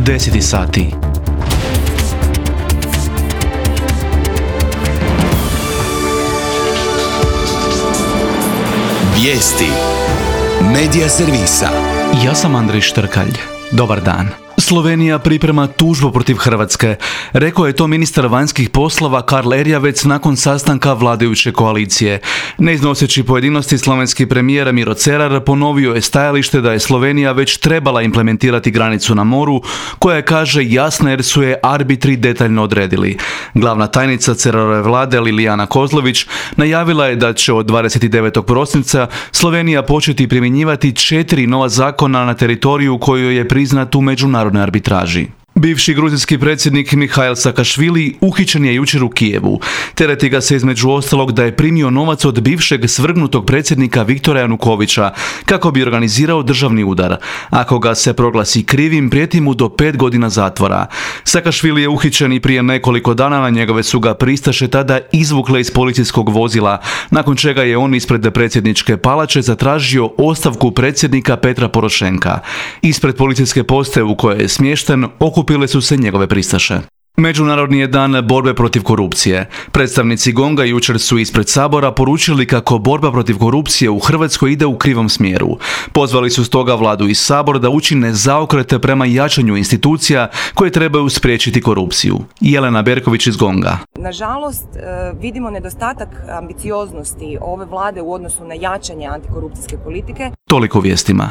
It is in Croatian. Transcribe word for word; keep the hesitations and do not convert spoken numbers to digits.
deset sati. Vijesti Medija servisa. Ja sam Andrej Štrkalj. Dobar dan. Slovenija priprema tužbu protiv Hrvatske. Rekao je to ministar vanjskih poslova Karl Erjavec nakon sastanka vladajuće koalicije. Ne iznoseći pojedinosti, slovenski premijer Miro Cerar ponovio je stajalište da je Slovenija već trebala implementirati granicu na moru, koja je, kaže, jasna jer su je arbitri detaljno odredili. Glavna tajnica Cerarove vlade Lilijana Kozlović najavila je da će od dvadeset devetog prosinca Slovenija početi primjenjivati četiri nova zakona na teritoriju koju je priznat u međunarodnoj arbitraži. Bivši gruzijski predsjednik Mihail Sakašvili uhićen je jučer u Kijevu. Tereti ga se između ostalog da je primio novac od bivšeg svrgnutog predsjednika Viktora Janukovića kako bi organizirao državni udar. Ako ga se proglasi krivim, prijeti mu do pet godina zatvora. Sakašvili je uhićen i prije nekoliko dana, na njegove su ga pristaše tada izvukle iz policijskog vozila, nakon čega je on ispred predsjedničke palače zatražio ostavku predsjednika Petra Porošenka. Ispred policijske postaje u kojoj je smješten okupile su se njegove pristaše. Međunarodni je dan borbe protiv korupcije. Predstavnici Gonga jučer su ispred Sabora poručili kako borba protiv korupcije u Hrvatskoj ide u krivom smjeru. Pozvali su stoga vladu i Sabor da učine zaokrete prema jačanju institucija koje trebaju spriječiti korupciju. Jelena Berković iz Gonga. Nažalost, vidimo nedostatak ambicioznosti ove vlade u odnosu na jačanje antikorupcijske politike. Toliko vijestima.